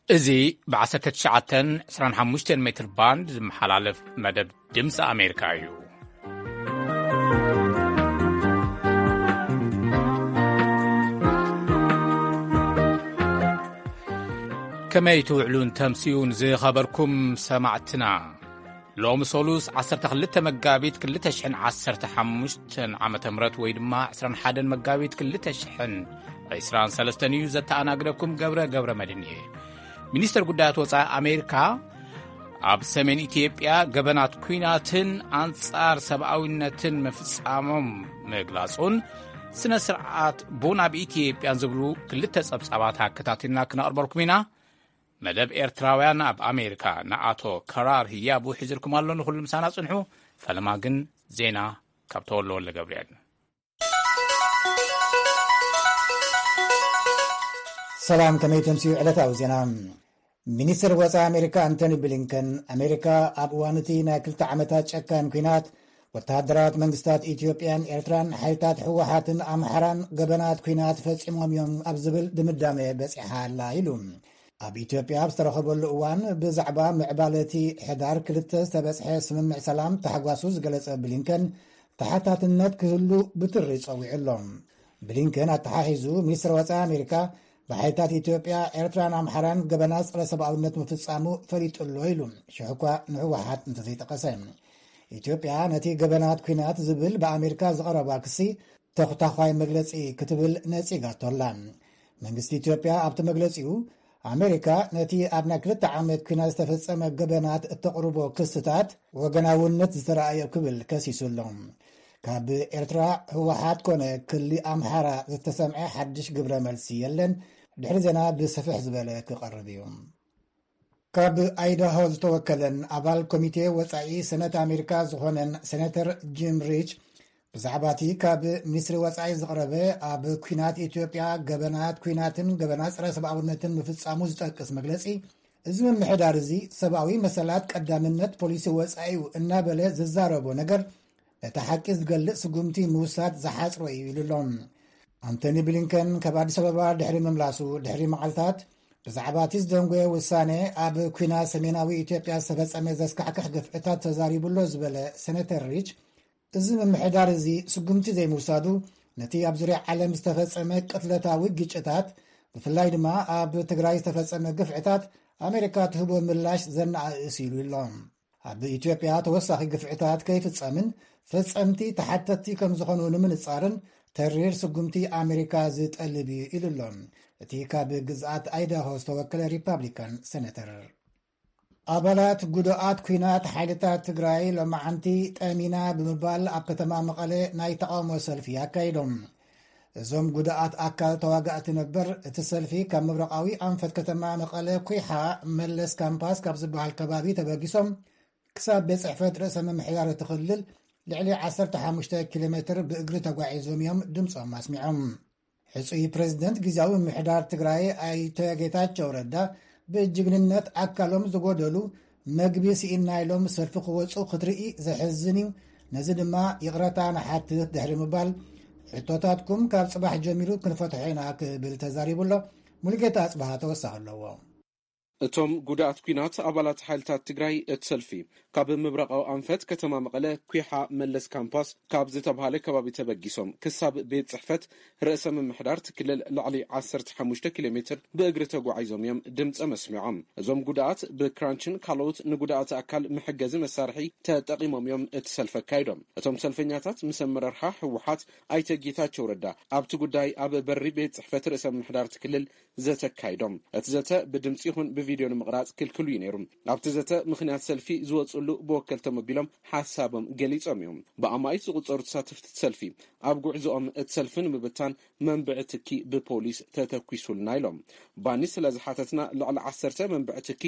እዚ ብ19 25 ሜትር ባንድ ዝመሓላለፍ መደብ ድምፂ ኣሜሪካ እዩ። ከመይ ትውዕሉን ተምስዩን ዝኸበርኩም ሰማዕትና? ሎሚ ሰሉስ 12 መጋቢት 2015 ዓመተ ምህረት ወይ ድማ 21 መጋቢት 2023 እዩ። ዘተኣናግደኩም ገብረ ገብረ መድን እየ። ሚኒስተር ጉዳያት ወጻኢ ኣሜሪካ ኣብ ሰሜን ኢትዮጵያ ገበናት ኲናትን ኣንጻር ሰብኣዊነትን ምፍጻሞም ምግላጹን ስነ ስርዓት ቡን ኣብ ኢትዮጵያን ዝብሉ ክልተ ጸብጻባት ኣከታቲልና ክነቕርበልኩም ኢና። መደብ ኤርትራውያን ኣብ ኣሜሪካ ንኣቶ ከራር ህያቡ ሒዝልኩም ኣሎ። ንኹሉ ምሳና ጽንሑ። ፈለማ ግን ዜና ካብ ተወልደ ወልደ ገብርኤል። ሰላም፣ ከመይ ተምስዩ ዕለታዊ ዜና። ሚኒስትር ወጻኢ ኣሜሪካ ኣንቶኒ ብሊንከን፣ ኣሜሪካ ኣብ እዋን እቲ ናይ ክልተ ዓመታት ጨካን ኲናት ወተሃደራት መንግስታት ኢትዮጵያን ኤርትራን ሓይልታት ህወሓትን ኣምሓራን ገበናት ኲናት ፈጺሞም እዮም ኣብ ዝብል ድምዳሜ በጺሓ ኣላ ኢሉ። ኣብ ኢትዮጵያ ኣብ ዝተረኸበሉ እዋን ብዛዕባ ምዕባለ እቲ ሕዳር 2 ዝተበጽሐ ስምምዕ ሰላም ታሕጓሱ ዝገለጸ ብሊንከን፣ ተሓታትነት ክህሉ ብትሪ ጸዊዑ ኣሎ። ብሊንከን ኣተሓሒዙ፣ ሚኒስትር ወጻኢ ኣሜሪካ ብሓይልታት ኢትዮጵያ፣ ኤርትራን ኣምሓራን ገበናት ጸረ ሰብኣውነት ምፍጻሙ ፈሊጡ ኣሎ ኢሉ፣ ሽሕ እኳ ንህወሓት እንተዘይጠቀሰ። ኢትዮጵያ ነቲ ገበናት ኲናት ዝብል ብኣሜሪካ ዝቐረባ ክሲ ተኹታዃይ መግለጺ ክትብል ነጺጋቶ ኣላ። መንግስቲ ኢትዮጵያ ኣብቲ መግለጺኡ፣ ኣሜሪካ ነቲ ኣብ ናይ ክልተ ዓመት ኲናት ዝተፈጸመ ገበናት እተቕርቦ ክስታት ወገናውነት ዝተረኣዮ ክብል ከሲሱ ኣሎ። ካብ ኤርትራ ህወሓት ኮነ ክሊ ኣምሓራ ዝተሰምዐ ሓድሽ ግብረ መልሲ የለን። ድሕሪ ዜና ብስፍሕ ዝበለ ክቐርብ እዩ። ካብ ኣይዳሆ ዝተወከለን ኣባል ኮሚቴ ወጻኢ ሰነት ኣሜሪካ ዝኾነን ሴኔተር ጂም ሪች፣ ብዛዕባ እቲ ካብ ሚኒስትሪ ወጻኢ ዝቐረበ ኣብ ኲናት ኢትዮጵያ ገበናት ኲናትን ገበናት ጸረ ሰብኣውነትን ምፍጻሙ ዝጠቅስ መግለጺ፣ እዚ ምምሕዳር እዚ ሰብኣዊ መሰላት ቀዳምነት ፖሊሲ ወጻኢኡ እናበለ ዝዛረቦ ነገር ነቲ ሓቂ ዝገልጽ ስጉምቲ ምውሳድ ዝሓጽሮ እዩ ኢሉ ኣሎ። ኣንቶኒ ብሊንከን ካብ ኣዲስ ኣበባ ድሕሪ ምምላሱ ድሕሪ መዓልታት ብዛዕባ እቲ ዝደንጎየ ውሳነ ኣብ ኲናት ሰሜናዊ ኢትዮጵያ ዝተፈጸመ ዘስካሕክሕ ግፍዕታት ተዛሪቡ ኣሎ ዝበለ ሴኔተር ሪች፣ እዚ ምምሕዳር እዚ ስጉምቲ ዘይምውሳዱ ነቲ ኣብ ዙርያ ዓለም ዝተፈጸመ ቅትለታዊ ግጭታት፣ ብፍላይ ድማ ኣብ ትግራይ ዝተፈጸመ ግፍዕታት ኣሜሪካ ትህቦ ምላሽ ዘነኣእስ ኢሉ ኣሎ። ኣብ ኢትዮጵያ ተወሳኺ ግፍዕታት ከይፍጸምን ፈጸምቲ ተሓተትቲ ከም ዝኾኑ ንምንጻርን ተሪር ስጉምቲ ኣሜሪካ ዝጠልብ እዩ ኢሉ ኣሎ እቲ ካብ ግዝኣት ኣይዳሆ ዝተወከለ ሪፓብሊካን ሴኔተር። ኣባላት ጉዱኣት ኲናት ሓይልታት ትግራይ ሎማዓንቲ ጠሚና ብምባል ኣብ ከተማ መቐለ ናይ ተቓውሞ ሰልፊ ኣካይዶም። እዞም ጉዱኣት ኣካል ተዋጋእቲ ነበር እቲ ሰልፊ ካብ ምብራቓዊ ኣንፈት ከተማ መቐለ ኩይሓ መለስ ካምፓስ ካብ ዝበሃል ከባቢ ተበጊሶም ክሳብ ቤት ጽሕፈት ርእሰ ምምሕዳር እቲ ክልል ልዕሊ 15 ኪሎ ሜትር ብእግሪ ተጓዒዞም እዮም ድምፆም ኣስሚዖም። ሕጹይ ፕሬዝደንት ግዝያዊ ምምሕዳር ትግራይ ኣይተ ጌታቸው ረዳ ብጅግንነት ኣካሎም ዝጎደሉ መግቢ ስኢንና ኢሎም ሰልፊ ክወፁ ክትርኢ ዘሕዝን እዩ። ነዚ ድማ ይቕረታ ንሓትት ድሕሪ ምባል ሕቶታትኩም ካብ ጽባሕ ጀሚሩ ክንፈትሖ ኢና ክብል ተዛሪቡ ኣሎ። ሙሉጌታ ኣጽብሃ ተወሳኺ ኣለዎ። እቶም ጉዳኣት ኲናት ኣባላት ሓይልታት ትግራይ እቲ ሰልፊ ካብ ምብራቓዊ ኣንፈት ከተማ መቐለ ኩሓ መለስ ካምፓስ ካብ ዝተብሃለ ከባቢ ተበጊሶም ክሳብ ቤት ጽሕፈት ርእሰ ምምሕዳር እቲ ክልል ልዕሊ 15 ኪሎ ሜትር ብእግሪ ተጓዒዞም እዮም ድምጸ መስሚዖም። እዞም ጉዳኣት ብክራንችን ካልኦት ንጉዳኣት ኣካል መሐገዚ መሳርሒ ተጠቒሞም እዮም እቲ ሰልፊ ኣካይዶም። እቶም ሰልፈኛታት ምስ ኣመራርሓ ህወሓት ኣይተ ጌታቸው ረዳ ኣብቲ ጉዳይ ኣብ በሪ ቤት ጽሕፈት ርእሰ ምምሕዳር እቲ ክልል ዘተ ኣካይዶም። እቲ ዘተ ብድምፂ ይኹን ብቪድዮ ንምቕራፅ ክልክሉ እዩ ነይሩ። ኣብቲ ዘተ ምኽንያት ሰልፊ ዝወፅሉ ብወከልቶም ኣቢሎም ሓሳቦም ገሊፆም እዮም። ብኣማኢት ዝቑፀሩ ተሳተፍቲ እቲ ሰልፊ ኣብ ጉዕዞኦም እቲ ሰልፊ ንምብታን መንብዒ ትኪ ብፖሊስ ተተኪሱልና ኢሎም። ባኒ ስለ ዝሓተትና ልዕሊ ዓሰርተ መንብዒ ትኪ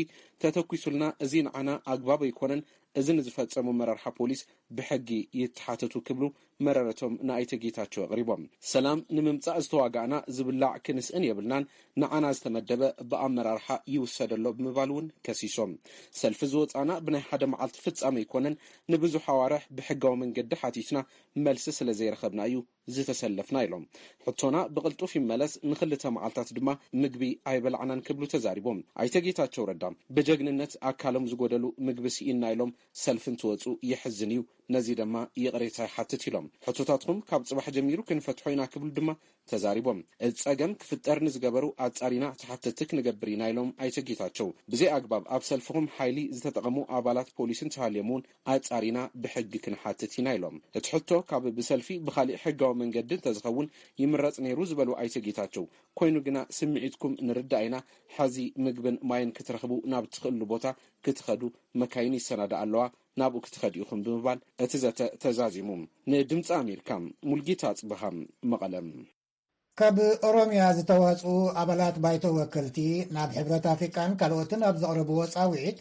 ተተኪሱልና፣ እዚ ንዓና ኣግባብ ኣይኮነን፣ እዚ ንዝፈፀሙ መራርሓ ፖሊስ ብሕጊ ይተሓተቱ ክብሉ መረረቶም ንኣይተ ጌታቸው ኣቕሪቦም። ሰላም ንምምጻእ ዝተዋጋእና ዝብላዕ ክንስእን የብልናን፣ ንዓና ዝተመደበ ብኣመራርሓ ይውሰደሎ ብምባል እውን ከሲሶም። ሰልፊ ዝወጻና ብናይ ሓደ መዓልቲ ፍጻመ ኣይኮነን፣ ንብዙሕ ኣዋርሕ ብሕጋዊ መንገዲ ሓቲትና መልሲ ስለ ዘይረኸብና እዩ ዝተሰለፍና ኢሎም። ሕቶና ብቕልጡፍ ይመለስ፣ ንኽልተ መዓልታት ድማ ምግቢ ኣይበላዕናን ክብሉ ተዛሪቦም። ኣይተ ጌታቸው ረዳ ብጀግንነት ኣካሎም ዝጎደሉ ምግቢ ስኢንና ኢሎም ሰልፊ እንትወፁ የሕዝን እዩ። ነዚ ድማ ይቕሬታ ይሓትት ኢሎም። ሕቶታትኩም ካብ ፅባሕ ጀሚሩ ክንፈትሖ ኢና ክብሉ ድማ ተዛሪቦም። እቲ ጸገም ክፍጠር ንዝገበሩ ኣጻሪና ተሓተቲ ክንገብር ኢና ኢሎም ኣይተ ጌታቸው። ብዘይ ኣግባብ ኣብ ሰልፍኹም ሓይሊ ዝተጠቐሙ ኣባላት ፖሊስ እንተሃልዮም እውን ኣጻሪና ብሕጊ ክንሓትት ኢና ኢሎም። እቲ ሕቶ ካብ ብሰልፊ ብኻሊእ ሕጋዊ መንገዲ እንተዝኸውን ይምረጽ ነይሩ ዝበሉ ኣይተ ጌታቸው፣ ኮይኑ ግና ስምዒትኩም ንርዳእ ኢና፣ ሐዚ ምግብን ማይን ክትረኽቡ ናብ ትኽእሉ ቦታ ክትኸዱ መካይን ይሰናዳ ኣለዋ፣ ናብኡ ክትኸዱ ኢኹም ብምባል እቲ ዘተ ተዛዚሙ። ንድምፂ ኣሜሪካ ሙልጌታ ኣፅበሃ፣ መቐለም። ካብ ኦሮምያ ዝተዋፅኡ ኣባላት ባይቶ ወከልቲ ናብ ሕብረት ኣፍሪቃን ካልኦትን ኣብ ዘቕረብዎ ጻውዒት፣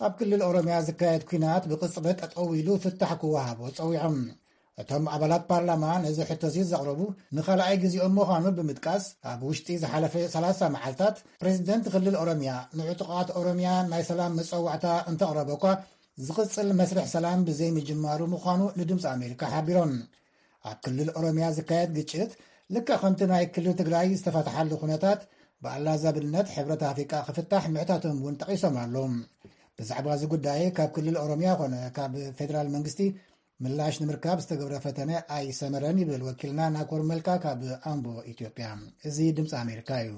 ኣብ ክልል ኦሮምያ ዝካየድ ኲናት ብቕጽበት ጠጠው ኢሉ ፍታሕ ክወሃቦ ጸዊዖም። እቶም ኣባላት ፓርላማ ነዚ ሕቶዚ ዘቕረቡ ንኻልኣይ ግዜኦም ምዃኑ ብምጥቃስ፣ ኣብ ውሽጢ ዝሓለፈ ሰላሳ መዓልታት ፕሬዚደንት ክልል ኦሮምያ ንዕጡቓት ኦሮምያ ናይ ሰላም መጸዋዕታ እንተቕረበ እኳ፣ ዝቕጽል መስርሕ ሰላም ብዘይምጅማሩ ምዃኑ ንድምፂ ኣሜሪካ ሓቢሮም። ኣብ ክልል ኦሮምያ ዝካየድ ግጭት ልክዕ ከምቲ ናይ ክልል ትግራይ ዝተፈትሓሉ ኩነታት ብኣላዛብነት ሕብረት ኣፍሪቃ ክፍታሕ ምሕታቶም እውን ጠቒሶም ኣለዉ። ብዛዕባ እዚ ጉዳይ ካብ ክልል ኦሮምያ ኮነ ካብ ፌደራል መንግስቲ ምላሽ ንምርካብ ዝተገብረ ፈተነ ኣይሰመረን ይብል ወኪልና ናኮር መልካ ካብ ኣምቦ ኢትዮጵያ። እዚ ድምፂ ኣሜሪካ እዩ።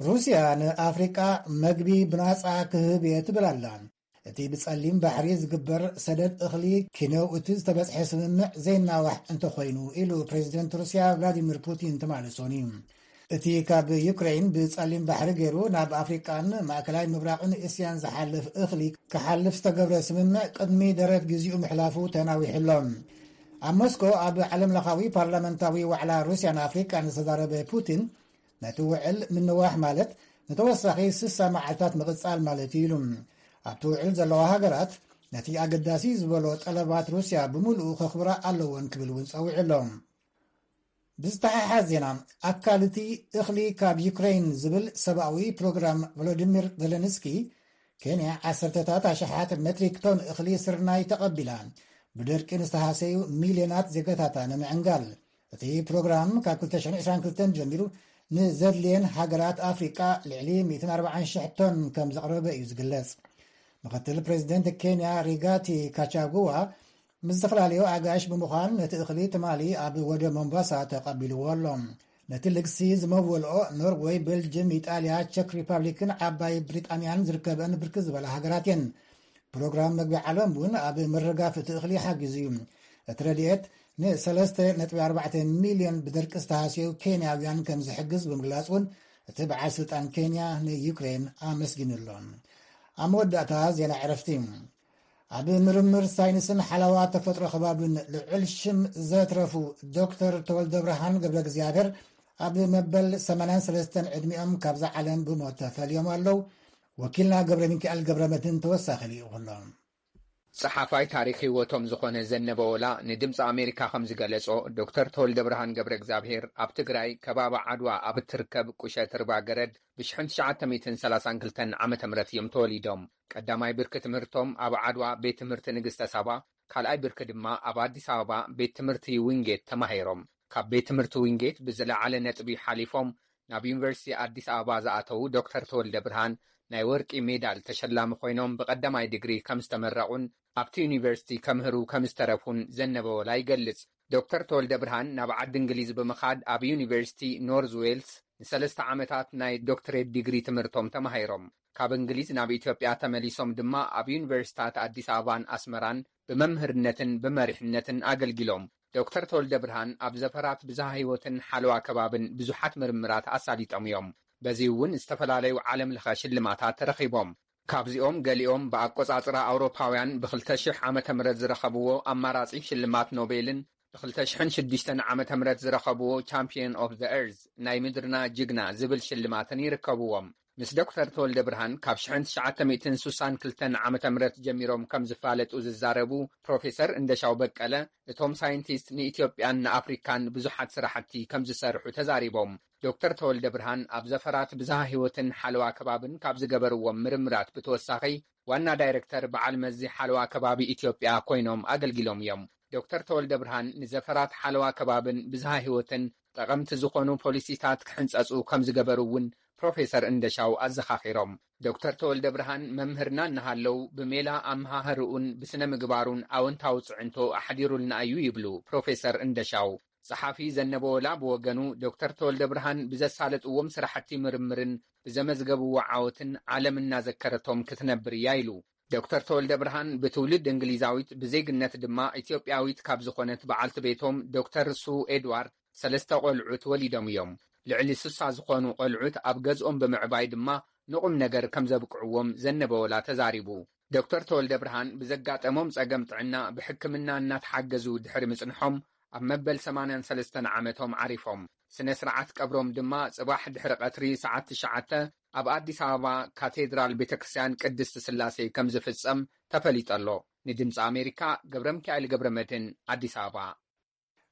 ሩስያ ንኣፍሪቃ መግቢ ብናጻ ክህብ እየ ትብል ኣላ። እቲ ብጸሊም ባሕሪ ዝግበር ሰደድ እኽሊ ኪነው እቲ ዝተበጽሐ ስምምዕ ዘይናዋሕ እንተኾይኑ ኢሉ ፕሬዚደንት ሩስያ ቭላዲሚር ፑቲን ትማሊ ሶኒ። እቲ ካብ ዩክሬን ብጸሊም ባሕሪ ገይሩ ናብ ኣፍሪቃን ማእከላይ ምብራቕን እስያን ዝሓልፍ እኽሊ ክሓልፍ ዝተገብረ ስምምዕ ቅድሚ ደረት ግዚኡ ምሕላፉ ተናዊሑ ኣሎ። ኣብ ሞስኮ ኣብ ዓለም ለኻዊ ፓርላመንታዊ ዋዕላ ሩስያን ኣፍሪቃን ዝተዛረበ ፑቲን፣ ነቲ ውዕል ምንዋሕ ማለት ንተወሳኺ ስሳ መዓልታት ምቕጻል ማለት እዩ ኢሉ። ኣብቲ ውዕል ዘለዋ ሃገራት ነቲ ኣገዳሲ ዝበሎ ጠለባት ሩስያ ብምሉኡ ከኽብራ ኣለወን ክብል እውን ጸዊዑ ኣሎ። ብዝተሓሓዝ ዜና፣ ኣካል እቲ እኽሊ ካብ ዩክሬን ዝብል ሰብኣዊ ፕሮግራም ቮሎዲሚር ዘለንስኪ፣ ኬንያ ዓሰርተታት ኣሽሓት ሜትሪክ ቶን እኽሊ ስርናይ ተቐቢላ፣ ብደርቂ ንዝተሃሰዩ ሚልዮናት ዜጋታታ ንምዕንጋል። እቲ ፕሮግራም ካብ ክልተ ሽሕን ዕስራን ክልተን ጀሚሩ ንዘድልየን ሃገራት ኣፍሪቃ ልዕሊ ሚእትን ኣርባዓን ሽሕ ቶን ከም ዘቕረበ እዩ ዝግለጽ። ምክትል ፕሬዚደንት ኬንያ ሪጋቲ ካቻጉዋ ምስ ዝተፈላለዩ ኣጋይሽ ብምዃን ነቲ እኽሊ ትማሊ ኣብ ወደብ ሞምባሳ ተቐቢልዎ ኣሎ። ነቲ ልግሲ ዝመወልኦ ኖርወይ፣ ቤልጅም፣ ኢጣልያ፣ ቸክ ሪፓብሊክን ዓባይ ብሪጣንያን ዝርከበን ብርክት ዝበላ ሃገራት እየን። ፕሮግራም መግቢ ዓለም እውን ኣብ ምርጋፍ እቲ እኽሊ ሓጊዙ እዩ። እቲ ረድኤት ንሰለስተ ነጥቢ ኣርባዕተ ሚልዮን ብደርቂ ዝተሃስዩ ኬንያውያን ከም ዝሕግዝ ብምግላጽ እውን እቲ በዓል ስልጣን ኬንያ ንዩክሬን ኣመስጊኑ ኣሎ። ኣብ መወዳእታ ዜና ዕረፍቲ። ኣብ ምርምር ሳይንስን ሓለዋ ተፈጥሮ ከባብን ልዑል ሽም ዘትረፉ ዶክተር ተወልደ ብርሃን ገብረ እግዚኣብሔር ኣብ መበል ሰማንያን ሰለስተን ዕድሚኦም ካብዛ ዓለም ብሞት ተፈልዮም ኣለዉ። ወኪልና ገብረ ሚካኤል ገብረ መድህን ተወሳኺ ልኢኹ ኣሎ። ጸሓፋይ ታሪኽ ህይወቶም ዝኾነ ዘነበ ወላ ንድምፂ ኣሜሪካ ከም ዝገለጾ፣ ዶክተር ተወልደ ብርሃን ገብረ እግዚኣብሔር ኣብ ትግራይ ከባቢ ዓድዋ ኣብ እትርከብ ቁሸት ርባ ገረድ ብሽሕን ትሽዓተ ሚእትን ሰላሳን ክልተን ዓመተ ምህረት እዮም ተወሊዶም። ቀዳማይ ብርኪ ትምህርቶም ኣብ ዓድዋ ቤት ትምህርቲ ንግስተ ሳባ፣ ካልኣይ ብርኪ ድማ ኣብ ኣዲስ ኣበባ ቤት ትምህርቲ ዊንጌት ተማሂሮም። ካብ ቤት ትምህርቲ ዊንጌት ብዝለዓለ ነጥቢ ሓሊፎም ናብ ዩኒቨርሲቲ ኣዲስ ኣበባ ዝኣተዉ ዶክተር ተወልደ ብርሃን ናይ ወርቂ ሜዳል ተሸላሚ ኮይኖም ብቐዳማይ ዲግሪ ከም ዝተመረቑን ኣብቲ ዩኒቨርሲቲ ከምህሩ ከም ዝተረፉን ዘነበ ወላ ይገልጽ። ዶክተር ተወልደ ብርሃን ናብ ዓዲ እንግሊዝ ብምኻድ ኣብ ዩኒቨርሲቲ ኖርዝ ዌልስ ንሰለስተ ዓመታት ናይ ዶክትሬት ዲግሪ ትምህርቶም ተማሂሮም። ካብ እንግሊዝ ናብ ኢትዮጵያ ተመሊሶም ድማ ኣብ ዩኒቨርሲታት ኣዲስ ኣበባን ኣስመራን ብመምህርነትን ብመሪሕነትን ኣገልጊሎም። ዶክተር ተወልደ ብርሃን ኣብ ዘፈራት ብዝሃ ህይወትን ሓለዋ ከባብን ብዙሓት ምርምራት ኣሳሊጦም እዮም። በዚ እውን ዝተፈላለዩ ዓለም ለኸ ሽልማታት ተረኺቦም። ካብዚኦም ገሊኦም ብኣቆጻጽራ ኣውሮፓውያን ብ ክልተ ሽሕ ዓመተ ምህረት ዝረኸብዎ ኣማራጺ ሽልማት ኖቤልን ብ ክልተ ሽሕን ሽዱሽተን ዓመተ ምህረት ዝረኸብዎ ቻምፒየን ኦፍ ዘ ኤርዝ፣ ናይ ምድርና ጅግና፣ ዝብል ሽልማትን ይርከብዎም። ምስ ዶክተር ተወልደ ብርሃን ካብ ሽሕን ትሽዓተ ሚእትን ስሳን ክልተን ዓመተ ምህረት ጀሚሮም ከም ዝፋለጡ ዝዛረቡ ፕሮፌሰር እንደሻው በቀለ፣ እቶም ሳይንቲስት ንኢትዮጵያን ንኣፍሪካን ብዙሓት ስራሕቲ ከም ዝሰርሑ ተዛሪቦም። ዶክተር ተወልደ ብርሃን ኣብ ዘፈራት ብዝሃ ህይወትን ሓለዋ ከባብን ካብ ዝገበርዎም ምርምራት ብተወሳኺ ዋና ዳይሬክተር በዓል መዚ ሓለዋ ከባቢ ኢትዮጵያ ኮይኖም ኣገልጊሎም እዮም። ዶክተር ተወልደ ብርሃን ንዘፈራት ሓለዋ ከባብን ብዝሃ ህይወትን ጠቐምቲ ዝኾኑ ፖሊሲታት ክሕንጸጹ ከም ዝገበሩ እውን ፕሮፌሰር እንደሻው ኣዘኻኺሮም። ዶክተር ተወልደ ብርሃን መምህርና እናሃለው ብሜላ ኣመሃህርኡን ብስነ ምግባሩን ኣወንታዊ ጽዕንቶ ኣሕዲሩልና እዩ ይብሉ ፕሮፌሰር እንደሻው። ጸሓፊ ዘነበ ወላ ብወገኑ፣ ዶክተር ተወልደ ብርሃን ብዘሳለጥዎም ስራሕቲ ምርምርን ብዘመዝገብዎ ዓወትን ዓለም እናዘከረቶም ክትነብር እያ ኢሉ። ዶክተር ተወልደ ብርሃን ብትውልድ እንግሊዛዊት ብዜግነት ድማ ኢትዮጵያዊት ካብ ዝኾነት በዓልቲ ቤቶም ዶክተር ሱ ኤድዋርድ ሰለስተ ቆልዑት ወሊዶም እዮም። ልዕሊ ስሳ ዝኾኑ ቆልዑት ኣብ ገዝኦም ብምዕባይ ድማ ንቑም ነገር ከም ዘብቅዕዎም ዘነበ ወላ ተዛሪቡ። ዶክተር ተወልደ ብርሃን ብዘጋጠሞም ጸገም ጥዕና ብሕክምና እናተሓገዙ ድሕሪ ምጽንሖም ኣብ መበል ሰማንያን ሰለስተን ዓመቶም ዓሪፎም። ስነ ስርዓት ቀብሮም ድማ ጽባሕ ድሕሪ ቀትሪ ሰዓት ትሽዓተ ኣብ ኣዲስ ኣበባ ካቴድራል ቤተክርስትያን ቅድስት ስላሴ ከም ዝፍጸም ተፈሊጡ ኣሎ። ንድምፂ ኣሜሪካ ገብረ ሚካኤል ገብረ መድህን ኣዲስ ኣበባ።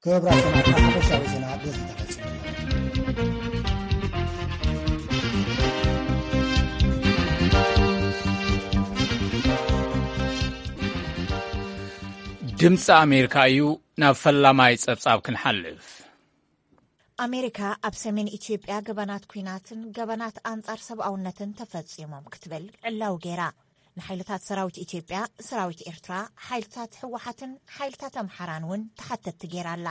ክቡራት ሰማዕትና ሓፈሻዊ ዜና በዚ ተፈጺሙ። ድምፂ ኣሜሪካ እዩ። ናብ ፈላማይ ጸብጻብ ክንሓልፍ። ኣሜሪካ ኣብ ሰሜን ኢትዮጵያ ገበናት ኲናትን ገበናት ኣንጻር ሰብኣውነትን ተፈጺሞም ክትብል ዕላዊ ገይራ። ንሓይልታት ሰራዊት ኢትዮጵያ፣ ሰራዊት ኤርትራ፣ ሓይልታት ህወሓትን ሓይልታት ኣምሓራን እውን ተሓተትቲ ገይራ ኣላ።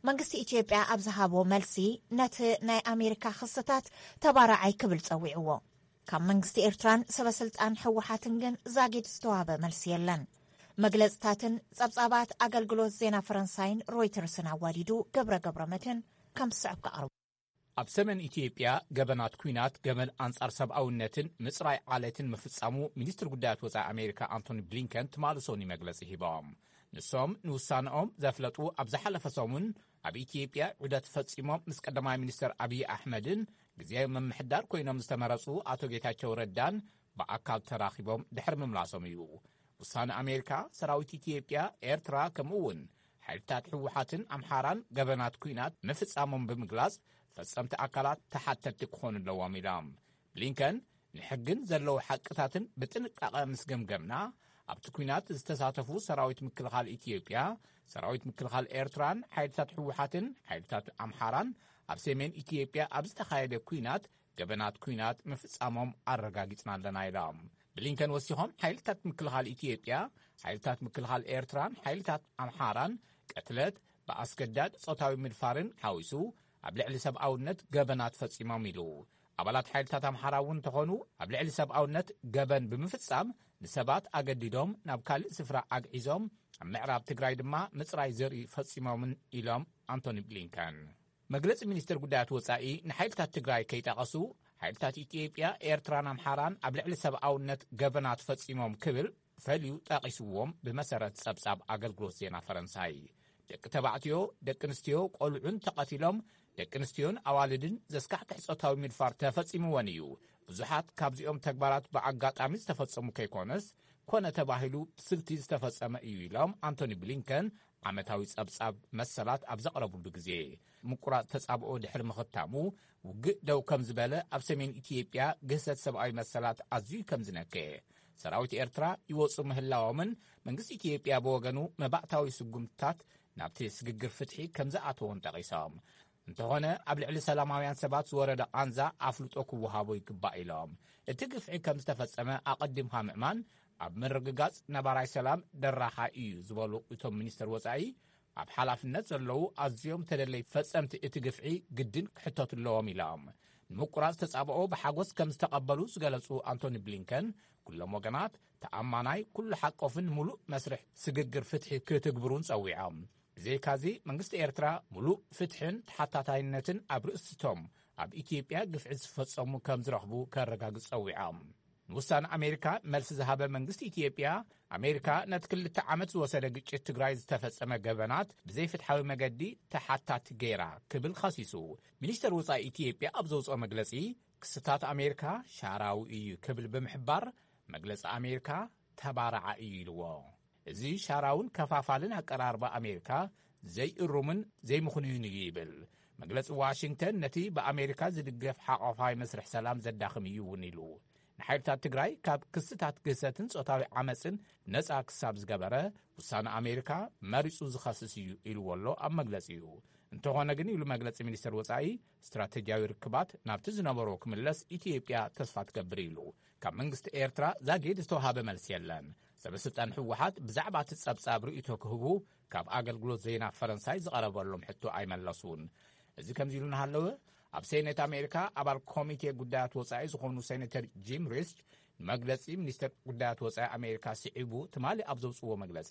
መንግስቲ ኢትዮጵያ ኣብ ዝሃቦ መልሲ ነቲ ናይ ኣሜሪካ ክስታት ተባራዓይ ክብል ጸዊዕዎ። ካብ መንግስቲ ኤርትራን ሰበስልጣን ህወሓትን ግን ዛጊድ ዝተዋህበ መልሲ የለን። መግለጽታትን ጸብጻባት ኣገልግሎት ዜና ፈረንሳይን ሮይተርስን ኣዋዲዱ ገብረ ገብረ መድህን ከም ዝስዕብ ክቐርቡ። ኣብ ሰሜን ኢትዮጵያ ገበናት ኲናት፣ ገበን ኣንጻር ሰብኣውነትን ምጽራይ ዓሌትን ምፍጻሙ ሚኒስትር ጉዳያት ወጻኢ ኣሜሪካ ኣንቶኒ ብሊንከን ትማሊ ሰኑይ መግለጺ ሂቦም። ንሶም ንውሳነኦም ዘፍለጡ ኣብ ዝሓለፈ ሰሙን ኣብ ኢትዮጵያ ዑደት ፈጺሞም ምስ ቀዳማይ ሚኒስትር ኣብይ ኣሕመድን ግዜ ምምሕዳር ኮይኖም ዝተመረጹ ኣቶ ጌታቸው ረዳን ብኣካል ተራኺቦም ድሕሪ ምምላሶም እዩ። ውሳነ ኣሜሪካ ሰራዊት ኢትዮጵያ፣ ኤርትራ ከምኡ እውን ሓይልታት ህወሓትን ኣምሓራን ገበናት ኲናት ምፍጻሞም ብምግላጽ ፈጸምቲ ኣካላት ተሓተትቲ ክኾኑ ኣለዎም ኢሎም። ብሊንከን ንሕግን ዘለዉ ሓቅታትን ብጥንቃቐ ምስ ገምገምና ኣብቲ ኲናት ዝተሳተፉ ሰራዊት ምክልኻል ኢትዮጵያ፣ ሰራዊት ምክልኻል ኤርትራን ሓይልታት ህወሓትን ሓይልታት ኣምሓራን ኣብ ሰሜን ኢትዮጵያ ኣብ ዝተኻየደ ኲናት ገበናት ኲናት ምፍጻሞም ኣረጋጊጽና ኣለና ኢሎም። ብሊንከን ወሲኾም ሓይልታት ምክልኻል ኢትዮጵያ፣ ሓይልታት ምክልኻል ኤርትራን ሓይልታት ኣምሓራን ቅትለት፣ ብኣስገዳድ ጾታዊ ምድፋርን ሓዊሱ ኣብ ልዕሊ ሰብኣውነት ገበናት ፈጺሞም ኢሉ። ኣባላት ሓይልታት ኣምሓራ እውን እንተኾኑ ኣብ ልዕሊ ሰብኣውነት ገበን ብምፍጻም ንሰባት ኣገዲዶም ናብ ካልእ ስፍራ ኣግዒዞም ኣብ ምዕራብ ትግራይ ድማ ምጽራይ ዘርኢ ፈጺሞምን ኢሎም ኣንቶኒ ብሊንከን። መግለጺ ሚኒስትር ጉዳያት ወጻኢ ንሓይልታት ትግራይ ከይጠቐሱ፣ ሓይልታት ኢትዮጵያ፣ ኤርትራን ኣምሓራን ኣብ ልዕሊ ሰብኣውነት ገበናት ፈጺሞም ክብል ፈልዩ ጠቒስዎም ብመሰረት ጸብጻብ ኣገልግሎት ዜና ፈረንሳይ። ደቂ ተባዕትዮ፣ ደቂ ኣንስትዮ፣ ቆልዑን ተቐቲሎም፣ ደቂ ኣንስትዮን ኣዋልድን ዘስካሕክሕ ጾታዊ ምድፋር ተፈጺምወን እዩ። ብዙሓት ካብዚኦም ተግባራት ብኣጋጣሚ ዝተፈጸሙ ከይኮነስ፣ ኮነ ተባሂሉ ብስልቲ ዝተፈጸመ እዩ ኢሎም ኣንቶኒ ብሊንከን ዓመታዊ ጸብጻብ መሰላት ኣብ ዘቕረብሉ ግዜ። ምቁራጽ ተጻብኦ ድሕሪ ምኽታሙ፣ ውግእ ደው ከም ዝበለ፣ ኣብ ሰሜን ኢትዮጵያ ግህሰት ሰብኣዊ መሰላት ኣዝዩ ከም ዝነከየ፣ ሰራዊት ኤርትራ ይወጹ ምህላዎምን መንግስቲ ኢትዮጵያ ብወገኑ መባእታዊ ስጉምትታት ናብቲ ስግግር ፍትሒ ከም ዝኣተዎን ጠቒሶም። እንተኾነ ኣብ ልዕሊ ሰላማውያን ሰባት ዝወረደ ቃንዛ ኣፍልጦ ክወሃቦ ይግባእ ኢሎም። እቲ ግፍዒ ከም ዝተፈጸመ ኣቐዲምካ ምእማን ኣብ ምርግጋጽ ነባራይ ሰላም ደራኻ እዩ ዝበሉ እቶም ሚኒስትር ወጻኢ፣ ኣብ ሓላፍነት ዘለዉ ኣዝዮም ተደለይ ፈጸምቲ እቲ ግፍዒ ግድን ክሕተቱ ኣለዎም ኢሎም። ንምቁራጽ ተጻብኦ ብሓጎስ ከም ዝተቐበሉ ዝገለጹ ኣንቶኒ ብሊንከን፣ ኩሎም ወገናት ተኣማናይ፣ ኩሉ ሓቆፍን ምሉእ መስርሕ ስግግር ፍትሒ ክትግብሩን ጸዊዖም። ብዘይካዚ መንግስቲ ኤርትራ ምሉእ ፍትሕን ተሓታታይነትን ኣብ ርእሲቶም ኣብ ኢትዮጵያ ግፍዒ ዝፈጸሙ ከም ዝረኽቡ ከረጋግጽ ጸዊዖም። ንውሳነ ኣሜሪካ መልሲ ዝሃበ መንግስቲ ኢትዮጵያ፣ ኣሜሪካ ነቲ ክልተ ዓመት ዝወሰደ ግጭት ትግራይ ዝተፈጸመ ገበናት ብዘይፍትሓዊ መገዲ ተሓታቲ ገይራ ክብል ኸሲሱ። ሚኒስተር ወጻኢ ኢትዮጵያ ኣብ ዘውፅኦ መግለጺ፣ ክስታት ኣሜሪካ ሻራዊ እዩ ክብል ብምሕባር፣ መግለጺ ኣሜሪካ ተባራዓ እዩ ኢልዎ። እዚ ሻራውን ከፋፋልን ኣቀራርባ ኣሜሪካ ዘይእሩምን ዘይምኽኑይን እዩ ይብል። መግለጺ ዋሽንግተን ነቲ ብኣሜሪካ ዝድገፍ ሓቋፋይ መስርሕ ሰላም ዘዳኽም እዩ እውን ኢሉ። ንሓይልታት ትግራይ ካብ ክስታት ግህሰትን ጾታዊ ዓመጽን ነጻ ክሳብ ዝገበረ፣ ውሳነ ኣሜሪካ መሪጹ ዝኸስስ እዩ ኢልዎ ኣሎ ኣብ መግለጺኡ። እንተኾነ ግን፣ ኢሉ መግለጺ ሚኒስተር ወጻኢ፣ ስትራተጂያዊ ርክባት ናብቲ ዝነበሮ ክምለስ ኢትዮጵያ ተስፋ ትገብር ኢሉ። ካብ መንግስቲ ኤርትራ ዛጊድ ዝተዋሃበ መልሲ የለን። ሰበስልጣን ህወሓት ብዛዕባ እቲ ጸብጻብ ርእይቶ ክህቡ ካብ ኣገልግሎት ዜና ፈረንሳይ ዝቐረበሎም ሕቶ ኣይመለሱን። እዚ ከምዚ ኢሉ እናሃለወ፣ ኣብ ሴኔት ኣሜሪካ ኣባል ኮሚቴ ጉዳያት ወጻኢ ዝኾኑ ሴኔተር ጂም ሪስክ፣ ንመግለጺ ሚኒስተር ጉዳያት ወጻኢ ኣሜሪካ ስዒቡ ትማሊ ኣብ ዘውጽዎ መግለጺ፣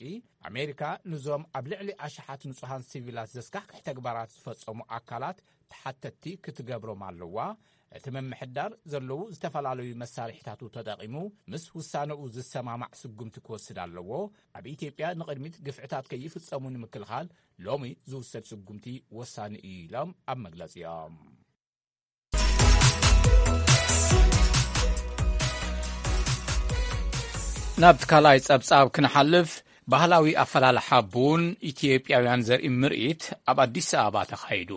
ኣሜሪካ ንዞም ኣብ ልዕሊ ኣሽሓት ንጹሃን ሲቪላት ዘስካሕክሕ ተግባራት ዝፈጸሙ ኣካላት ተሓተትቲ ክትገብሮም ኣለዋ። እቲ ምምሕዳር ዘለዉ ዝተፈላለዩ መሳርሒታቱ ተጠቒሙ ምስ ውሳነኡ ዝሰማማዕ ስጉምቲ ክወስድ ኣለዎ። ኣብ ኢትዮጵያ ንቕድሚት ግፍዕታት ከይፍጸሙ ንምክልኻል ሎሚ ዝውሰድ ስጉምቲ ወሳኒ እዩ ኢሎም ኣብ መግለጺኦም። ናብቲ ካልኣይ ጸብጻብ ክንሓልፍ፣ ባህላዊ ኣፈላልሓ ቡን ኢትዮጵያውያን ዘርኢ ምርኢት ኣብ ኣዲስ ኣበባ ተኻይዱ።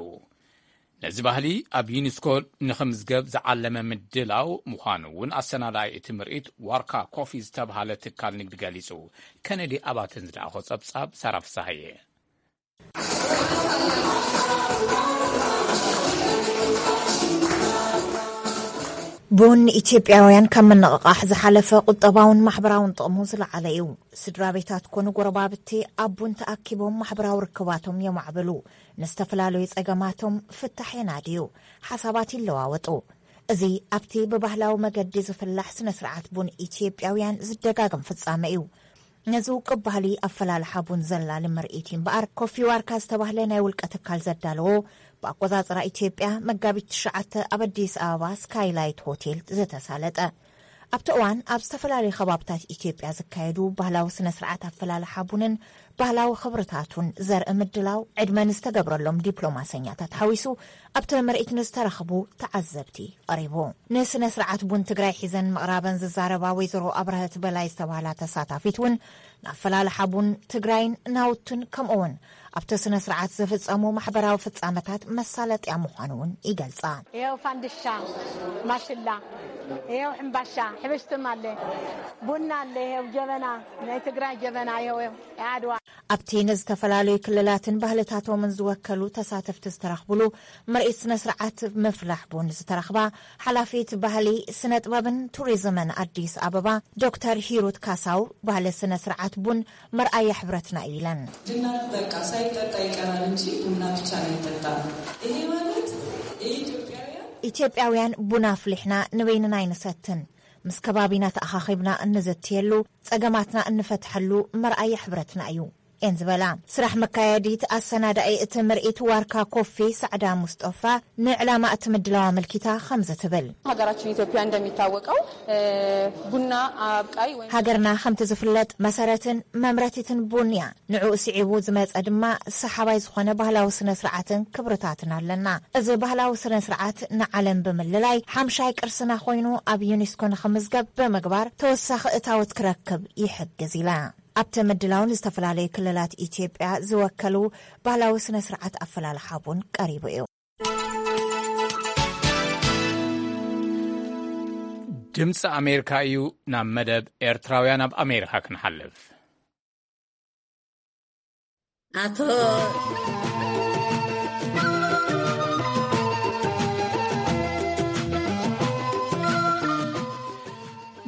ነዚ ባህሊ ኣብ ዩኒስኮ ንኽምዝገብ ዝዓለመ ምድላው ምዃኑ እውን ኣሰናዳኢ እቲ ምርኢት ዋርካ ኮፊ ዝተብሃለ ትካል ንግዲ ገሊጹ። ከነዲ ኣባተን ዝለኣኾ ጸብጻብ ሳራ ፍሳሃየ። ቡን ንኢትዮጵያውያን ካብ ምንቕቓሕ ዝሓለፈ ቁጠባውን ማሕበራውን ጥቕሙ ዝለዓለ እዩ። ስድራ ቤታት ኮኑ ጎረባብቲ ኣብ ቡን ተኣኪቦም ማሕበራዊ ርክባቶም የማዕብሉ፣ ንዝተፈላለዩ ጸገማቶም ፍታሕ የናድዩ፣ ሓሳባት ይለዋወጡ። እዚ ኣብቲ ብባህላዊ መገዲ ዝፍላሕ ስነ ስርዓት ቡን ኢትዮጵያውያን ዝደጋገም ፍጻመ እዩ። ነዚ ውቁብ ባህሊ ኣፈላልሓ ቡን ዘላሊ ምርኢት እዩ እምበኣር፣ ኮፊ ዋርካ ዝተባህለ ናይ ውልቀ ትካል ዘዳለዎ፣ ብኣቆጻጽራ ኢትዮጵያ መጋቢት ትሽዓተ ኣብ ኣዲስ ኣበባ ስካይላይት ሆቴል ዝተሳለጠ። ኣብቲ እዋን ኣብ ዝተፈላለዩ ከባብታት ኢትዮጵያ ዝካየዱ ባህላዊ ስነ ስርዓት ኣፈላልሓ ቡንን ባህላዊ ክብርታቱን ዘርኢ ምድላው፣ ዕድመ ንዝተገብረሎም ዲፕሎማሰኛታት ሓዊሱ ኣብቲ ምርኢት ንዝተረኽቡ ተዓዘብቲ ቀሪቡ። ንስነ ስርዓት ቡን ትግራይ ሒዘን ምቕራበን ዝዛረባ ወይዘሮ ኣብረሀት በላይ ዝተባህላ ተሳታፊት እውን፣ ንኣፈላልሓ ቡን ትግራይን ናውቱን ከምኡ እውን ኣብቲ ስነ ስርዓት ዝፍጸሙ ማሕበራዊ ፍጻመታት መሳለጥያ ምዃኑ እውን ይገልጻ። ይኸው ፋንድሻ፣ ማሽላ፣ ይኸው ሕምባሻ፣ ሕብሽትም ኣለ፣ ቡና ኣለ፣ ይኸው ጀበና፣ ናይ ትግራይ ጀበና፣ ይኸው፣ ይኸው፣ የዓድዋ። ኣብቲ ንዝተፈላለዩ ክልላትን ባህልታቶምን ዝወከሉ ተሳተፍቲ ዝተረኽብሉ ምርኢት ስነ ስርዓት ምፍላሕ ቡን ዝተረኽባ ሓላፊት ባህሊ፣ ስነ ጥበብን ቱሪዝምን ኣዲስ ኣበባ ዶክተር ሂሩት ካሳው፣ ባህሊ ስነ ስርዓት ቡን መርኣያ ሕብረትና እዩ ኢለን። ድናር በቃ ሳይጠጣ ይቀራል እንጂ ቡና ብቻ ነው ይጠጣ። ይሄ ማለት የኢትዮጵያውያን ኢትዮጵያውያን ቡን ኣፍሊሕና ንበይንና ኣይንሰትን፣ ምስ ከባቢና ተኣኻኺብና እንዝትየሉ፣ ጸገማትና እንፈትሐሉ መርኣያ ሕብረትና እዩ እየን ዝበላ። ስራሕ መካየዲት ኣሰናዳኢ እቲ ምርኢት ዋርካ ኮፊ ሳዕዳ ሙስጦፋ ንዕላማ እቲ ምድላው ኣመልኪታ ከምዚ ትብል። ሀገራችን ኢትዮጵያ እንደሚታወቀው ቡና አብቃይ ወይም ሃገርና ከምቲ ዝፍለጥ መሰረትን መምረቲትን ቡን እያ። ንዕኡ ስዒቡ ዝመጸ ድማ ሰሓባይ ዝኾነ ባህላዊ ስነ ስርዓትን ክብርታትን ኣለና። እዚ ባህላዊ ስነ ስርዓት ንዓለም ብምልላይ ሓምሻይ ቅርስና ኮይኑ ኣብ ዩኔስኮ ንኽምዝገብ ብምግባር ተወሳኺ እታወት ክረክብ ይሕግዝ ኢላ። ኣብቲ ምድላው ንዝተፈላለዩ ክልላት ኢትዮጵያ ዝወከሉ ባህላዊ ስነ ስርዓት ኣፈላልሓ ቡን ቀሪቡ እዩ። ድምፂ ኣሜሪካ እዩ። ናብ መደብ ኤርትራውያን ኣብ ኣሜሪካ ክንሓልፍ። ኣቶ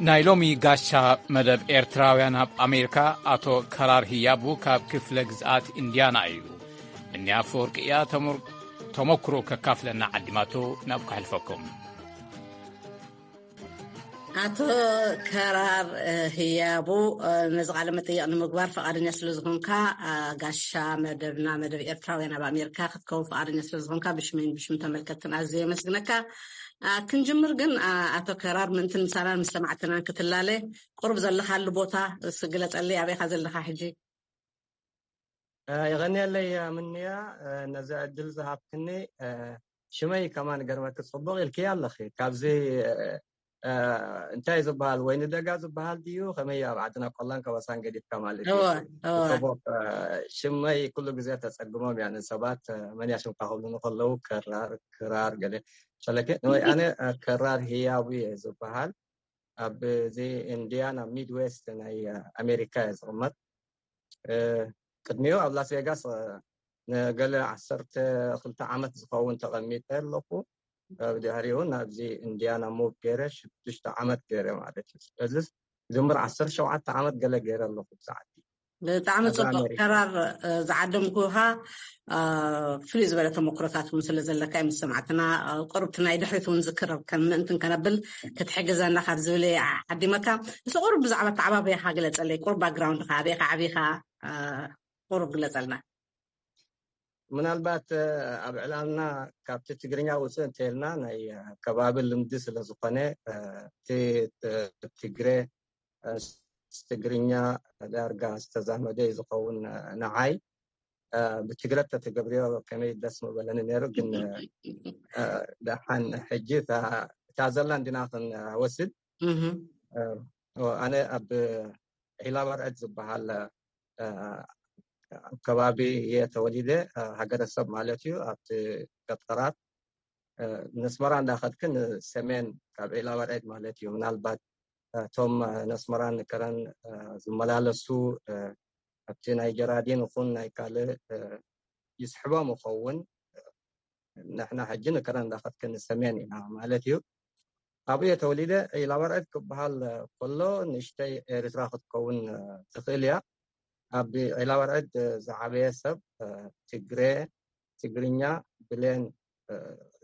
ናይ ሎሚ ጋሻ መደብ ኤርትራውያን ኣብ ኣሜሪካ ኣቶ ከራር ህያቡ ካብ ክፍለ ግዝኣት ኢንድያና እዩ። እኒ ኣፈወርቂ እያ ተሞር- ተሞክሮ ከካፍለና ዓዲማቶ ናብ ከሕልፈኩም። ኣቶ ከራር ህያቡ፣ ነዚ ቃለ መጠየቕ ንምግባር ፈቓደኛ ስለ ዝኾንካ፣ ጋሻ መደብና፣ መደብ ኤርትራውያን ኣብ ኣሜሪካ ክትከውን ፈቓደኛ ስለ ዝኾንካ ብሽመይን ብሽም ተመልከትን ኣዝየ የመስግነካ። ክንጅምር ግን፣ ኣቶ ከራር፣ ምእንቲ ምሳናን ምስ ሰማዕትናን ክትላለ፣ ቁሩብ ዘለኻሉ ቦታ እስኪ ግለጸለይ፣ ኣበይኻ ዘለኻ ሕጂ? የቐንየለይ ምንያ፣ ነዚ ዕድል ዝሃብክኒ። ሽመይ ከማን ገርመኪ፣ ጽቡቕ ኢልክያ ኣለኺ። ካብዚ እንታይ ዝበሃል፣ ወይኒ ደጋ ዝበሃል ድዩ? ከመይ ኣብ ዓድና ቆላን ከበሳን ገዲፍካ ማለት እዩ። እወ፣ እወ። ጽቡቕ። ሽመይ ኩሉ ግዜ ተጸግሞም እያ ንሰባት፣ መን እያ ሽምካ ክብሉኒ ከለዉ፣ ከራር፣ ክራር ገለ። ሸለኬ ንወይ ኣነ ከራር ህያቡ እየ ዝበሃል። ኣብ እዚ ኢንዲያና ሚድዌስት ናይ ኣሜሪካ እየ ዝቕመጥ። ቅድሚኡ ኣብ ላስ ቬጋስ ንገለ ዓሰርተ ክልተ ዓመት ዝኸውን ተቐሚጠ ኣለኹ። ብድሕሪኡ ናብዚ ኢንዲያና ሙቭ ገይረ ሽዱሽተ ዓመት ገይረ ማለት እዩ። ስለዚ ድምር ዓሰርተ ሸውዓተ ዓመት ገለ ገይረ ኣለኹ ብዛዕዲ። ብጣዕሚ ጽቡቅ። ከራር ዝዓደምኩኻ ፍሉይ ዝበለ ተመክሮታት እውን ስለ ዘለካ ምስ ሰማዕትና ቁርብቲ ናይ ድሕሪት እውን ዝክረብ ከም ምእንትን ከነብል ክትሕግዘና ካብ ዝብል ዓዲመካ። ንስ ቁሩብ ብዛዕባ ተዓባበያኻ ግለጸለይ። ቁሩብ ባክግራውንድካ፣ ኣበይካ ዓቢኻ፣ ቁሩብ ግለጸልና። ምናልባት ኣብ ዕላልና ካብቲ ትግርኛ ውፅእ እንተልና ናይ ከባቢ ልምዲ ስለ ዝኾነ እቲ ትግረ ትግርኛ ዳርጋ ዝተዛመደ ዝኸውን ንዓይ። ብትግረ ተተገብርዮ ከመይ ደስ ምበለኒ ነይሩ። ግን ደሓን ሕጂ እታ ዘላ እንዲና ክንወስድ። ኣነ ኣብ ዒላ በርዕድ ዝበሃል ኣብ ከባቢ እየ ተወሊደ። ሃገረሰብ ማለት እዩ። ኣብቲ ገጠራት ነስመራ እንዳኸድክን ሰሜን ካብ ዒላ በርዕድ ማለት እዩ። ምናልባት እቶም ነስመራን ከረን ዝመላለሱ ኣብቲ ናይ ጀራዲን ይኹን ናይ ካልእ ይስሕቦም ይኸውን። ንሕና ሕጂ ንከረን እንዳኸድክን ሰሜን ኢና ማለት እዩ። ኣብኡ እየ ተወሊደ። ዒላ በርዕድ ክበሃል ከሎ ንእሽተይ ኤርትራ ክትከውን ትኽእል እያ። ኣብ ዒላ በርዕድ ዝዓበየ ሰብ ትግረ፣ ትግርኛ፣ ብሌን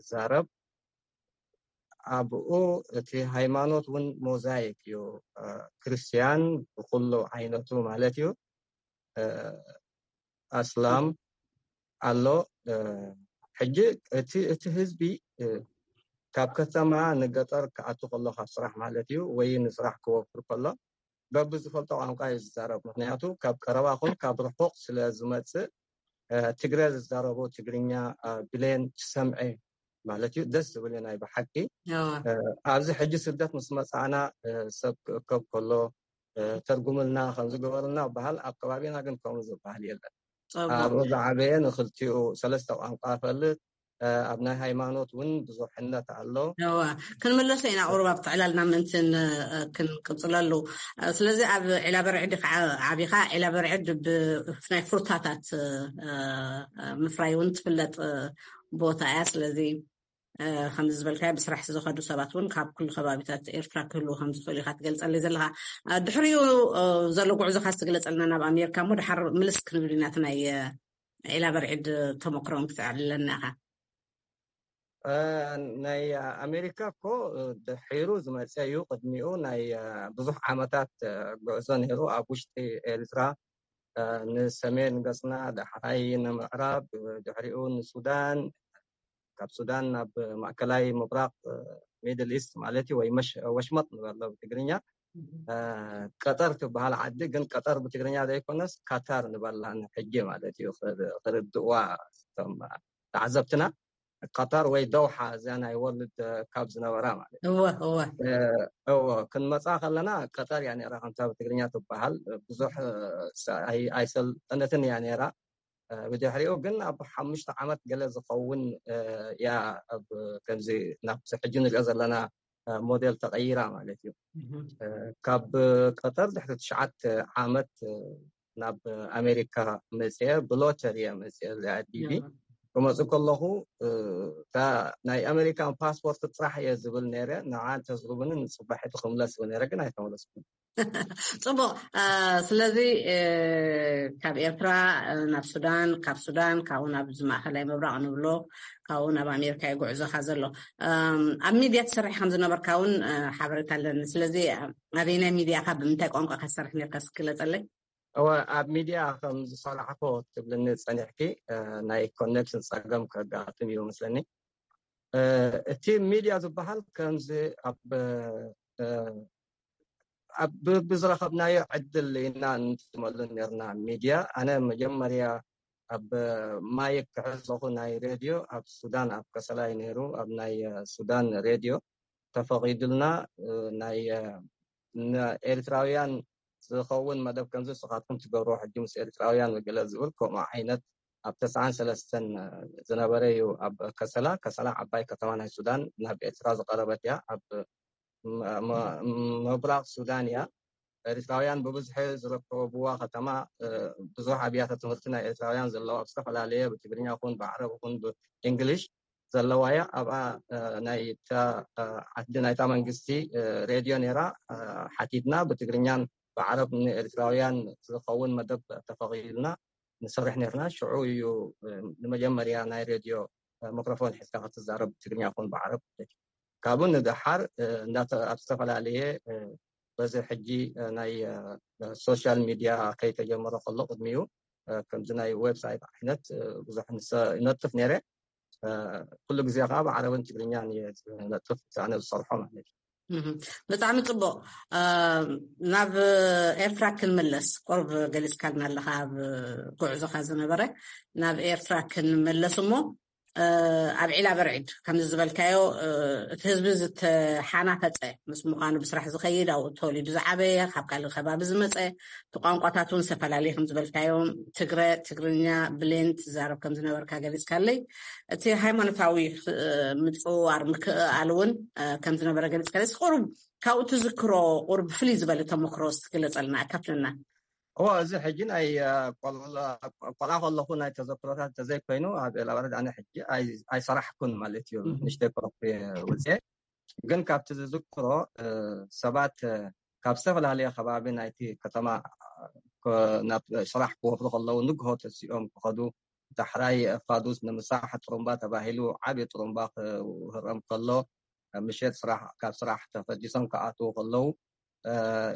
ዛረብ። ኣብኡ እቲ ሃይማኖት እውን ሞዛይክ እዩ። ክርስቲያን ብኩሉ ዓይነቱ ማለት እዩ። ኣስላም ኣሎ። ሕጂ እቲ ህዝቢ ካብ ከተማ ንገጠር ክኣቱ ከሎ ካብ ስራሕ ማለት እዩ ወይ ንስራሕ ክወፍር ከሎ በብዝፈልጦ ቋንቋ እዩ ዝዛረብ። ምክንያቱ ካብ ቀረባ ኹን ካብ ርሑቕ ስለ ዝመፅእ ትግረ ዝዛረቡ ትግርኛ ብሌን ትሰምዐ ማለት እዩ። ደስ ዝብል እዩ ናይ ብሓቂ። ኣብዚ ሕጂ ስደት ምስ መፃእና ሰብ ክእከብ ከሎ ተርጉምልና ከምዝገበርልና በሃል ኣብ ከባቢና ግን ከምኡ ዝበሃል የለን። ኣብኡ ዝዓበየ ንክልቲኡ ሰለስተ ቋንቋ ፈልጥ ኣብ ናይ ሃይማኖት እውን ብዙሕነት ኣሎ። ክንምለሶ ኢና ቁሩብ ኣብቲ ዕላልና ምእንቲ ክንቅፅለሉ። ስለዚ ኣብ ዒላ በርዕድ ከዓ ዓቢኻ። ዒላ በርዕድ ብናይ ፍሩታታት ምፍራይ እውን ትፍለጥ ቦታ እያ። ስለዚ ከምዚ ዝበልካዮ ብስራሕ ዝኸዱ ሰባት እውን ካብ ኩሉ ከባቢታት ኤርትራ ክህልዉ ከምዝኽእሉ ኢኻ ትገልጸለይ ዘለኻ። ድሕሪኡ ዘሎ ጉዕዞኻ ዝትግለጸልና ናብ ኣሜሪካ እሞ ድሓር ምልስ ክንብል ኢና እቲ ናይ ዒላ በርዒድ ተመክሮን ክትዕልለና ኢኻ። ናይ ኣሜሪካ እኮ ድሒሩ ዝመፀ እዩ። ቅድሚኡ ናይ ብዙሕ ዓመታት ጉዕዞ ነይሩ። ኣብ ውሽጢ ኤርትራ ንሰሜን ገፅና፣ ዳሕራይ ንምዕራብ፣ ድሕሪኡ ንሱዳን፣ ካብ ሱዳን ናብ ማእከላይ ምብራቕ፣ ሚድል ኢስት ማለት እዩ፣ ወይ ወሽመጥ ንበሎ ብትግርኛ። ቀጠር ትበሃል ዓዲ ግን ቀጠር ብትግርኛ ዘይኮነስ ካታር ንበላ ሕጂ ማለት እዩ። ክርድእዋ እቶም ተዓዘብትና፣ ቀጠር ወይ ደውሓ እዚኣ ናይ ወርልድ ካብ ዝነበራ ማለት እዩ። እወ እወ እወ ክንመፃ ከለና ቀጠር እያ ነራ ከምታ ብትግርኛ ትበሃል። ብዙሕ ኣይሰልጠነትን እያ ነራ። ብድሕሪኡ ግን ኣብ ሓሙሽተ ዓመት ገለ ዝኸውን እያ ከምዚ ናብ ሕጂ ንሪኦ ዘለና ሞዴል ተቐይራ ማለት እዩ። ካብ ቀጠር ድሕሪ ትሽዓተ ዓመት ናብ ኣሜሪካ መፅአ። ብሎተሪ እየ መፅአ። እዚኣ ዲቪ ክመፅእ ከለኹ እታ ናይ ኣሜሪካን ፓስፖርት ጥራሕ እየ ዝብል ነይረ። ንዓ እንተዝህቡኒ ንፅባሒቱ ክምለስ ይብል ነይረ፣ ግን ኣይተመለስኩን። ፅቡቅ። ስለዚ ካብ ኤርትራ ናብ ሱዳን፣ ካብ ሱዳን ካብኡ ናብ ማእከላይ ምብራቅ ንብሎ፣ ካብኡ ናብ ኣሜሪካ እዩ ጉዕዞኻ ዘሎ። ኣብ ሚድያ ትሰርሕ ከም ዝነበርካ እውን ሓበሬታ ኣለኒ። ስለዚ ኣበይናይ ሚድያ ኢኻ፣ ብምንታይ ቋንቋ ኢኻ ትሰርሕ ነርካ? እስኪ ግለፀለይ። እወ፣ ኣብ ሚድያ ከም ዝሰራሕኮ ትብልኒ ፀኒሕኪ፣ ናይ ኮኔክሽን ፀገም ከጋጥም እዩ መስለኒ። እቲ ሚድያ ዝበሃል ከምዚ ኣብ ኣብ ብዝረኸብናዮ ዕድል ኢና ንጥቀመሉ ነርና ሚድያ። ኣነ መጀመርያ ኣብ ማይክ ክሕዝ ከለኹ ናይ ሬድዮ ኣብ ሱዳን ኣብ ከሰላ እዩ ነይሩ። ኣብ ናይ ሱዳን ሬድዮ ተፈቒዱልና ናይ ንኤርትራውያን ዝኸውን መደብ ከምዚ ንስኻትኩም ትገብርዎ ሕጂ ምስ ኤርትራውያን ገለ ዝብል ከምኡ ዓይነት ኣብ ተስዓን ሰለስተን ዝነበረ እዩ። ኣብ ከሰላ፣ ከሰላ ዓባይ ከተማ ናይ ሱዳን ናብ ኤርትራ ዝቐረበት እያ። ኣብ ም-፣ ም-፣ ምብራቕ ሱዳን እያ። ኤርትራውያን ብብዝሒ ዝርከብዋ ከተማ፣ እ፣ ብዙሕ ኣብያተ ትምህርቲ ናይ ኤርትራውያን ዘለዋ፣ ኣብ ዝተፈላለየ ብትግርኛ ይኹን ብዓረብ ይኹን ብእንግሊሽ ዘለዋ እያ። ኣብኣ፣ እ፣ ናይታ፣ እ፣ ዓዲ ናይታ መንግስቲ፣ እ፣ ሬድዮ ነይራ። እ፣ ሓቲትና ብትግርኛን ብዓረብ ንኤርትራውያን ዝኸውን መደብ ተፈቒዱልና ንሰርሕ ነርና። ሽዑ እዩ፣ እ፣ ንመጀመርያ ናይ ሬድዮ፣ እ፣ ማይክሮፎን ሒዝካ ክትዛረብ ብትግርኛ ይኹን ብዓረብ። ካብኡ ንደሓር፣ እ፣ እንዳተ-፣ ኣብ ዝተፈላለየ፣ እ፣ በዚ ሕጂ፣ እ፣ ናይ፣ እ፣ ሶሻል ሚድያ ከይተጀመረ ከሎ ቅድሚኡ፣ እ፣ ከምዚ ናይ ዌብሳይት ዓይነት፣ እ፣ ብዙሕ ንሰ-፣ ይነጥፍ ነይረ። እ፣ ኩሉ ግዜ ከዓ ብዓረብን ትግርኛን እየ ዝነጥፍ፣ ኣነ ዝሰርሖ ማለት እዩ። እህ፣ ብጣዕሚ ጽቡቕ። እ፣ ናብ ኤርትራ ክንምለስ፣ ቁሩብ ገሊጽካልና ኣለኻ ኣብ ጉዕዞኻ ዝነበረ። ናብ ኤርትራ ክንመለስ እሞ፣ እ፣ ኣብ ዒላ በርዒድ ከምዚ ዝበልካዮ፣ እ፣ እቲ ህዝቢ ዝተሓናፈጸ ምስ ምዃኑ፣ ብስራሕ ዝኸይድ፣ ኣብኡ ተወሊዱ ዝዓበየ፣ ካብ ካልእ ከባቢ ዝመጸ፣ እቲ ቋንቋታት እውን ዝተፈላለየ ከም ዝበልካዮ፣ ትግረ፣ ትግርኛ፣ ብሌን ትዛረብ ከም ዝነበርካ ገሊጽካለይ። እቲ ሃይማኖታዊ፣ እ፣ ምጽውዋር፣ ምክእኣል እውን፣ እ፣ ከም ዝነበረ ገሊጽካለይ። እስኪ ቁሩብ ካብኡ ትዝክሮ፣ ቁሩብ ፍልይ ዝበለ ተመክሮ እስኪ ግለጸልና፣ ኣካፍለና። እዎ፣ እዚ ሕጂ ናይ፣ እ፣ ቆል-፣ ቆልዓ ከለኹ ናይ ተዘክሮታት እንተዘይኮይኑ፣ ኣብ ኤላባረት ኣነ ሕጂ ኣይ-፣ ኣይሰራሕኩን ማለት እዩ። እህ። ንእሽተይ ኮፍ ወፅየ። ግን ካብቲ ዝዝክሮ፣ እ፣ ሰባት፣ እ፣ ካብ ዝተፈላለየ ከባቢ ናይቲ ከተማ፣ እ፣ ኮ-፣ ናብ ስራሕ ክወፍሩ ከለዉ ንግሆ ተሲኦም ክኸዱ፣ ዳሕራይ ፋዱስ ንምሳሕ ጥሩምባ ተባሂሉ ዓብዪ ጥሩምባ ክህረም ከሎ፣ ምሸት ስራሕ፣ ካብ ስራሕ ተፈዲሶም ክኣትዉ ከለዉ፣ እ፣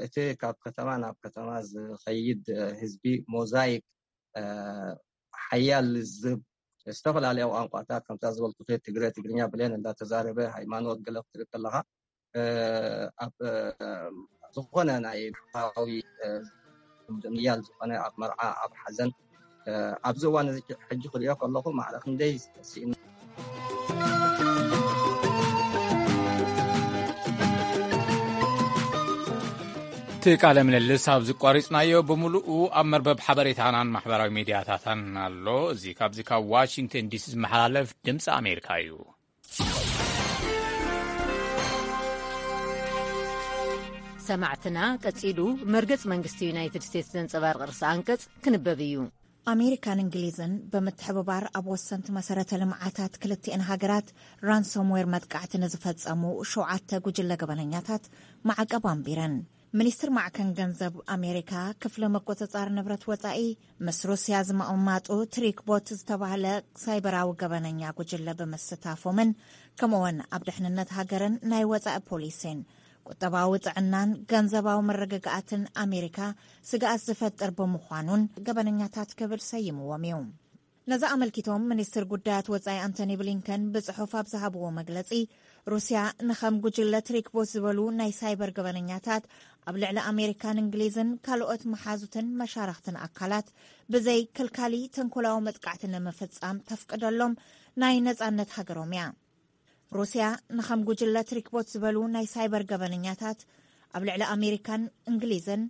እቲ ካብ ከተማ ናብ ከተማ ዝኸይድ፣ እ፣ ህዝቢ ሞዛይክ፣ እ፣ ሓያል ልዝብ፣ ዝተፈላለያ ቋንቋታት፣ ከምታ ዝበልኩ ትግረ፣ ትግርኛ፣ ብሌን እንዳተዛረበ፣ ሃይማኖት ገለ ክትርኢ ከለኻ፣ እ፣ ኣብ፣ እ፣ ዝኾነ ናይ ብሕታዊ፣ እ፣ ምያል ዝኾነ ኣብ መርዓ፣ ኣብ ሓዘን፣ እ፣ ኣብዚ እዋን እዚ ሕጂ ክሪኦ ከለኹ ማዕረ ክንደይ ስኢኑ። እቲ ቃለ ምልልስ ኣብዚ ቋሪጽናዮ፣ ብምሉኡ ኣብ መርበብ ሓበሬታናን ማሕበራዊ ሚድያታታን ኣሎ። እዚ ካብዚ ካብ ዋሽንግተን ዲሲ ዝመሓላለፍ ድምፂ ኣሜሪካ እዩ። ሰማዕትና፣ ቀጺሉ መርገጽ መንግስቲ ዩናይትድ ስቴትስ ዘንጸባርቕ ርእሰ ኣንቀጽ ክንበብ እዩ። ኣሜሪካን እንግሊዝን ብምትሕብባር ኣብ ወሰንቲ መሰረተ ልምዓታት ክልቲኤን ሃገራት ራንሶምዌር መጥቃዕቲ ንዝፈጸሙ ሸውዓተ ጉጅለ ገበነኛታት ማዕቀብ ኣንቢረን። ሚኒስትር ማዕከን ገንዘብ ኣሜሪካ ክፍሊ ምቁጽጻር ንብረት ወጻኢ ምስ ሩስያ ዝምቕማጡ ትሪክቦት ዝተባህለ ሳይበራዊ ገበነኛ ጉጅለ ብምስታፎምን ከምኡውን ኣብ ድሕንነት ሃገርን ናይ ወጻኢ ፖሊሲን ቁጠባዊ ጥዕናን ገንዘባዊ መረጋጋኣትን ኣሜሪካ ስግኣት ዝፈጥር ብምዃኑን ገበነኛታት ክብል ሰይምዎም እዩ። ነዚ ኣመልኪቶም ሚኒስትር ጉዳያት ወጻኢ ኣንቶኒ ብሊንከን ብጽሑፍ ኣብ ዝሃብዎ መግለጺ፣ ሩስያ ንኸም ጉጅለ ትሪክቦት ዝበሉ ናይ ሳይበር ገበነኛታት ኣብ ልዕሊ ኣሜሪካን እንግሊዝን ካልኦት መሓዙትን መሻርኽትን ኣካላት ብዘይ ከልካሊ ተንኮላዊ መጥቃዕቲ ንምፍጻም ተፍቅደሎም ናይ ነጻነት ሃገሮም እያ። ሩስያ ንኸም ጉጅለ ትሪክቦት ዝበሉ ናይ ሳይበር ገበነኛታት ኣብ ልዕሊ ኣሜሪካን እንግሊዝን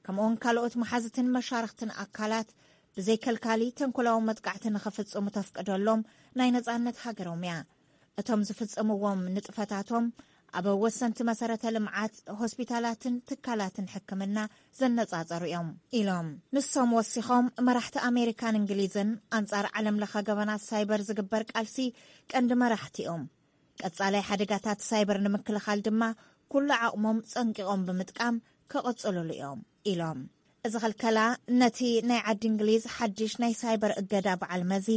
ከምኡውን ካልኦት መሓዝትን መሻርኽትን ኣካላት ብዘይ ከልካሊ ተንኮላዊ መጥቃዕቲ ንኸፍጽሙ ተፍቅደሎም ናይ ነጻነት ሃገሮም እያ። እቶም ዝፍጽምዎም ንጥፈታቶም ኣብ ወሰንቲ መሰረተ ልምዓት፣ ሆስፒታላትን ትካላትን ሕክምና ዘነጻጸሩ እዮም ኢሎም። ንሶም ወሲኾም፣ መራሕቲ ኣሜሪካን እንግሊዝን ኣንጻር ዓለም ለኸ ገበናት ሳይበር ዝግበር ቃልሲ ቀንዲ መራሕቲ እዮም። ቀጻላይ ሓደጋታት ሳይበር ንምክልኻል ድማ ኩሉ ዓቕሞም ጸንቂቖም ብምጥቃም ክቕጽሉሉ እዮም ኢሎም። እዚ ክልከላ ነቲ ናይ ዓዲ እንግሊዝ ሓድሽ ናይ ሳይበር እገዳ በዓል መዚ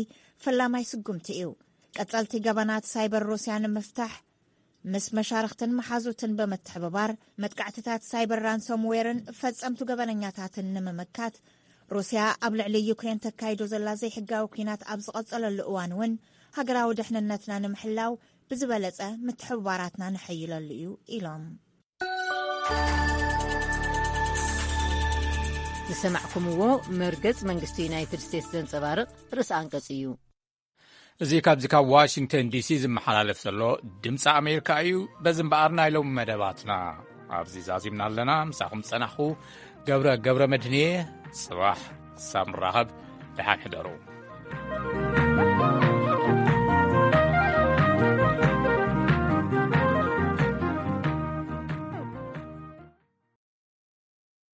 ፈላማይ ስጉምቲ እዩ። ቀጸልቲ ገበናት ሳይበር ሩስያ ንምፍታሕ ምስ መሻርኽትን መሓዙትን ብምትሕብባር መጥቃዕትታት ሳይበር ራንሶምዌርን ፈጸምቱ ገበነኛታትን ንምምካት ሩስያ ኣብ ልዕሊ ዩክሬን ተካይዶ ዘላ ዘይሕጋዊ ኲናት ኣብ ዝቐጸለሉ እዋን እውን ሃገራዊ ድሕንነትና ንምሕላው ብዝበለጸ ምትሕብባራትና ነሐይለሉ እዩ ኢሎም። ዝሰማዕኩምዎ መርገጽ መንግስቲ ዩናይትድ ስቴትስ ዘንጸባርቕ ርእሰ ኣንቀጽ እዩ። እዚ ካብዚ ካብ ዋሽንግተን ዲሲ ዝመሓላለፍ ዘሎ ድምፂ ኣሜሪካ እዩ። በዚ እምበኣር ናይ ሎሚ መደባትና ኣብዚ ዛዚምና ኣለና። ምሳኹም ዝጸናሕኹ ገብረ፣ ገብረ መድህንየ። ጽባሕ ክሳብ ንራኸብ ደሓን ሕደሩ።